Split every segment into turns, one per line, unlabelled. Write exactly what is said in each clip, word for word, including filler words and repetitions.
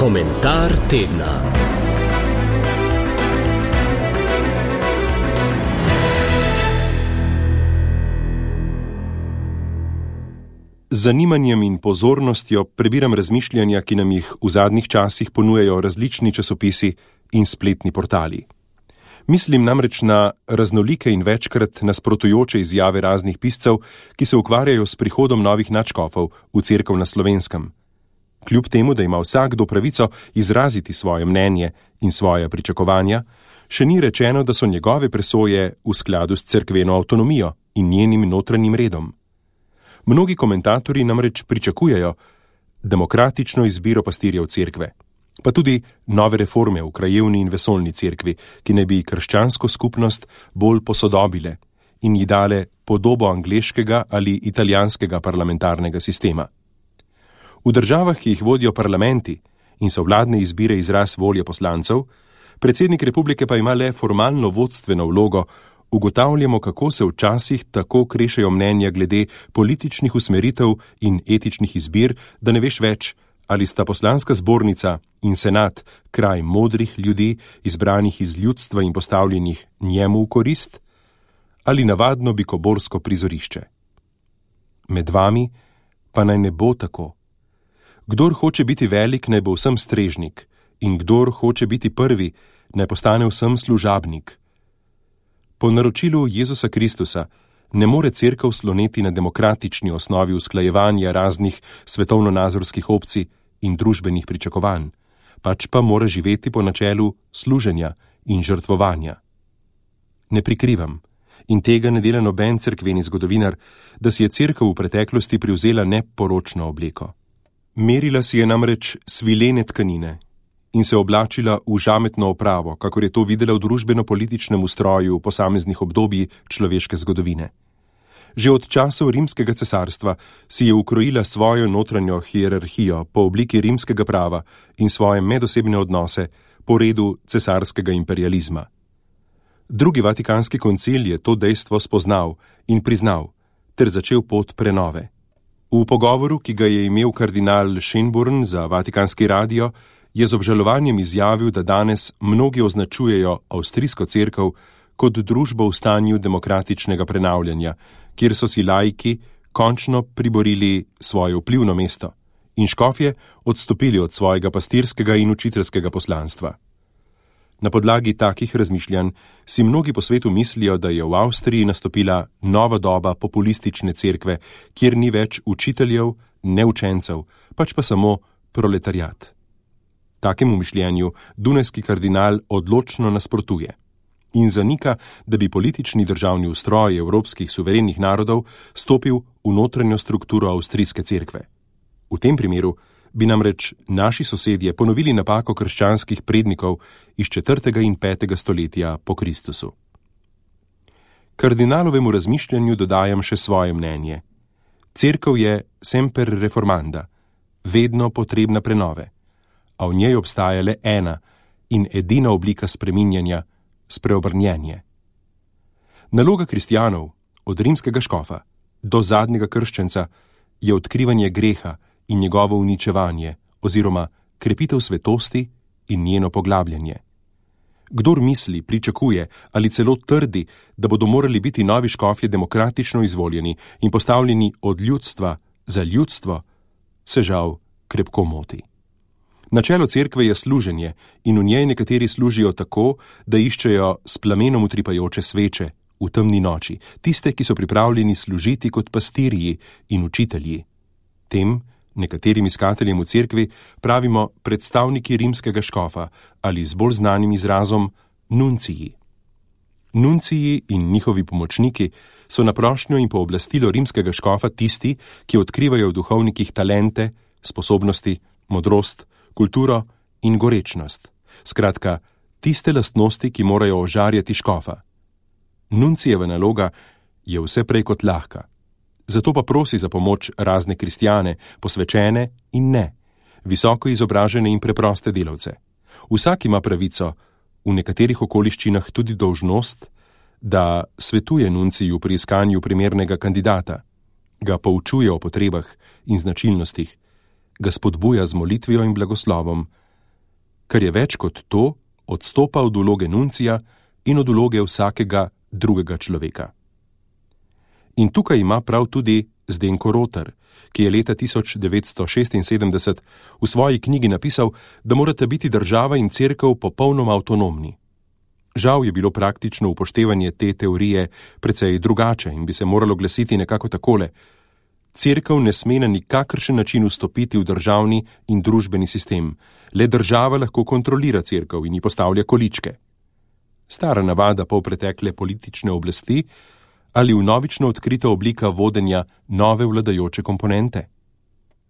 Komentar tedna. Z zanimanjem in pozornostjo prebiram razmišljanja, ki nam jih v zadnjih časih ponujajo različni časopisi in spletni portali. Mislim namreč na raznolike in večkrat nasprotujoče izjave raznih piscev, ki se ukvarjajo s prihodom novih nadškofov v cerkev na Slovenskem. Kljub temu, da ima vsakdo pravico izraziti svoje mnenje in svoja pričakovanja, še ni rečeno, da so njegove presoje v skladu s cerkveno avtonomijo in njenim notranjim redom. Mnogi komentatorji namreč pričakujejo demokratično izbiro pastirjev cerkve, pa tudi nove reforme v krajevni in vesoljni cerkvi, ki naj bi krščansko skupnost bolj posodobile in ji dale podobo angleškega ali italijanskega parlamentarnega sistema. V državah, ki jih vodijo parlamenti in so vladne izbire izraz volje poslancev, predsednik republike pa ima le formalno vodstveno vlogo, ugotavljamo, kako se včasih tako krešejo mnenja glede političnih usmeritev in etičnih izbir, da ne veš več, ali sta poslanska zbornica in senat kraj modrih ljudi, izbranih iz ljudstva in postavljenih njemu v korist, ali navadno bikoborsko prizorišče. Med vami pa naj ne bo tako. Kdor hoče biti velik, naj bo vsem strežnik, in kdor hoče biti prvi, naj postane vsem služabnik. Po naročilu Jezusa Kristusa ne more cerkev sloneti na demokratični osnovi usklajevanja raznih svetovno-nazorskih opcij in družbenih pričakovanj, pač pa mora živeti po načelu služenja in žrtvovanja. Ne prikrivam, in tega ne dela noben cerkveni zgodovinar, da si je cerkev v preteklosti privzela neporočno obleko. Merila si je namreč svilene tkanine in se oblačila v žametno opravo, kakor je to videla v družbeno-političnem ustroju v posameznih obdobji človeške zgodovine. Že od časov rimskega cesarstva si je ukrojila svojo notranjo hierarhijo po obliki rimskega prava in svoje medosebne odnose po redu cesarskega imperializma. Drugi vatikanski koncil je to dejstvo spoznal in priznal ter začel pot prenove. V pogovoru, ki ga je imel kardinal Schönborn za Vatikanski radio, je z obžalovanjem izjavil, da danes mnogi označujejo avstrijsko cerkev kot družbo v stanju demokratičnega prenavljanja, kjer so si laiki končno priborili svoje vplivno mesto in škofje odstopili od svojega pastirskega in učiteljskega poslanstva. Na podlagi takih razmišljanj si mnogi po svetu mislijo, da je v Avstriji nastopila nova doba populistične cerkve, kjer ni več učiteljev, ne učencev, pač pa samo proletariat. Takemu mišljenju dunajski kardinal odločno nasprotuje in zanika, da bi politični državni ustroj evropskih suverenih narodov stopil v notranjo strukturo avstrijske cerkve. V tem primeru bi namreč naši sosedje ponovili napako krščanskih prednikov iz četrtega in petega stoletja po Kristusu. Kardinalovemu razmišljanju dodajam še svoje mnenje. Cerkev je semper reformanda, vedno potrebna prenove, a v njej obstaja le ena in edina oblika spreminjanja, spreobrnjenje. Naloga kristjanov, od rimskega škofa do zadnjega krščenca, je odkrivanje greha in njegovo uničevanje oziroma krepitev svetosti in njeno poglabljanje. Kdor misli, pričakuje ali celo trdi, da bodo morali biti novi škofje demokratično izvoljeni in postavljeni od ljudstva za ljudstvo, se žal krepko moti. Načelo cerkve je služenje in v njej nekateri služijo tako, da iščejo s plamenom utripajoče sveče v temni noči, tiste, ki so pripravljeni služiti kot pastirji in učitelji. Tem, nekaterim iskateljem v cerkvi, pravimo predstavniki rimskega škofa ali z bolj znanim izrazom nunciji. Nunciji in njihovi pomočniki so na prošnjo in pooblastilo rimskega škofa tisti, ki odkrivajo v duhovnikih talente, sposobnosti, modrost, kulturo in gorečnost. Skratka, tiste lastnosti, ki morajo ožarjati škofa. Nuncijeva naloga je vse prej kot lahka. Zato pa prosi za pomoč razne kristjane, posvečene in ne, visoko izobražene in preproste delavce. Vsak ima pravico, v nekaterih okoliščinah tudi dolžnost, da svetuje nunciju pri iskanju primernega kandidata, ga poučuje o potrebah in značilnostih, ga spodbuja z molitvijo in blagoslovom, kar je več kot to, odstopa od vloge nuncija in od vloge vsakega drugega človeka. In tukaj ima prav tudi Zdenko Rotar, ki je leta tisoč devetsto šestinsedemdeset v svoji knjigi napisal, da morata biti država in cerkev popolnoma avtonomni. Žal je bilo praktično upoštevanje te teorije precej drugače in bi se moralo glasiti nekako takole: cerkev ne sme na nikakršen način vstopiti v državni in družbeni sistem, le država lahko kontrolira cerkev in ji postavlja količke. Stara navada polpretekle politične oblasti ali vnovično odkrita oblika vodenja nove vladajoče komponente?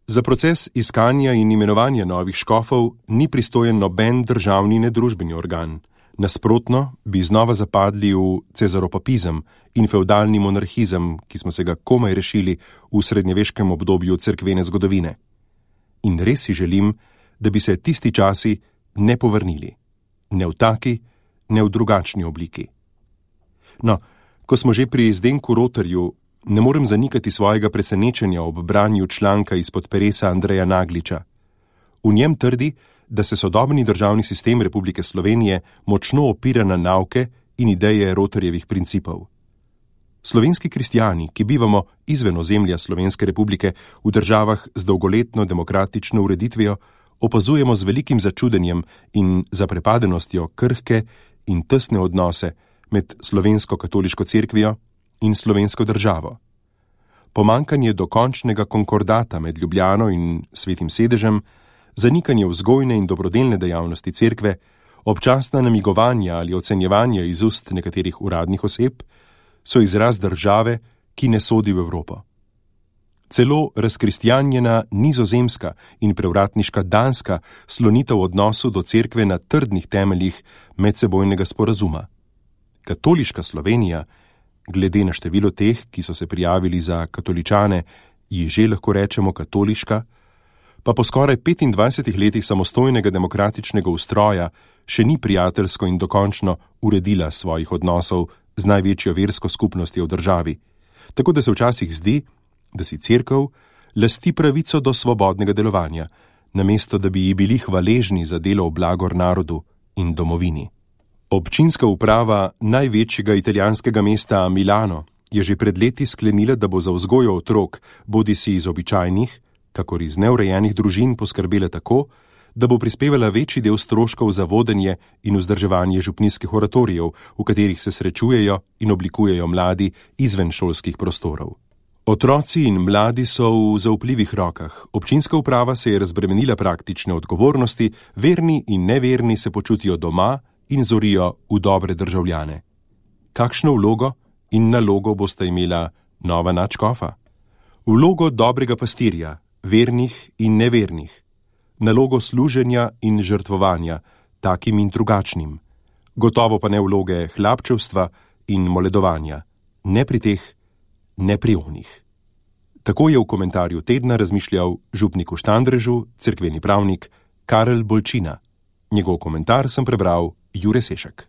Za proces iskanja in imenovanja novih škofov ni pristojen noben državni ne družbeni organ. Nasprotno bi znova zapadli v cezaropapizem in fevdalni monarhizem, ki smo se ga komaj rešili v srednjeveškem obdobju cerkvene zgodovine. In res si želim, da bi se tisti časi ne povrnili. Ne v taki, ne v drugačni obliki. No, ko smo že pri Zdenku Rotarju, ne morem zanikati svojega presenečenja ob branju članka izpod peresa Andreja Nagliča. V njem trdi, da se sodobni državni sistem Republike Slovenije močno opira na nauke in ideje Rotarjevih principov. Slovenski kristjani, ki bivamo izven ozemlja Slovenske republike v državah z dolgoletno demokratično ureditvijo, opazujemo z velikim začudenjem in zaprepadenostjo krhke in tesne odnose med slovensko katoliško cerkvijo in slovensko državo. Pomankanje dokončnega konkordata med Ljubljano in Svetim sedežem, zanikanje vzgojne in dobrodelne dejavnosti cerkve, občasna namigovanja ali ocenjevanja iz ust nekaterih uradnih oseb, so izraz države, ki ne sodi v Evropo. Celo razkristjanjena Nizozemska in prevratniška Danska slonita v odnosu do cerkve na trdnih temeljih medsebojnega sporazuma. Katoliška Slovenija, glede na število teh, ki so se prijavili za katoličane, ji že lahko rečemo katoliška, pa po skoraj petindvajsetih letih samostojnega demokratičnega ustroja še ni prijateljsko in dokončno uredila svojih odnosov z največjo versko skupnostjo v državi, tako da se včasih zdi, da si cerkev lasti pravico do svobodnega delovanja, namesto da bi ji bili hvaležni za delo v blagor narodu in domovini. Občinska uprava največjega italijanskega mesta Milano je že pred leti sklenila, da bo za vzgojo otrok, bodisi iz običajnih, kakor iz neurejenih družin, poskrbela tako, da bo prispevala večji del stroškov za vodenje in vzdrževanje župnijskih oratorijev, v katerih se srečujejo in oblikujejo mladi izven šolskih prostorov. Otroci in mladi so v zaupljivih rokah. Občinska uprava se je razbremenila praktične odgovornosti, verni in neverni se počutijo doma in zorijo v dobre državljane. Kakšno vlogo in nalogo bosta imela nova nadškofa? Vlogo dobrega pastirja, vernih in nevernih. Nalogo služenja in žrtvovanja, takim in drugačnim. Gotovo pa ne vloge hlapčevstva in moledovanja. Ne pri teh, ne pri onih. Tako je v komentarju tedna razmišljal župnik v Štandrežu, cerkveni pravnik Karel Bolčina. Njegov komentar sem prebral Jure Sešek.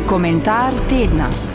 Komentar tedna.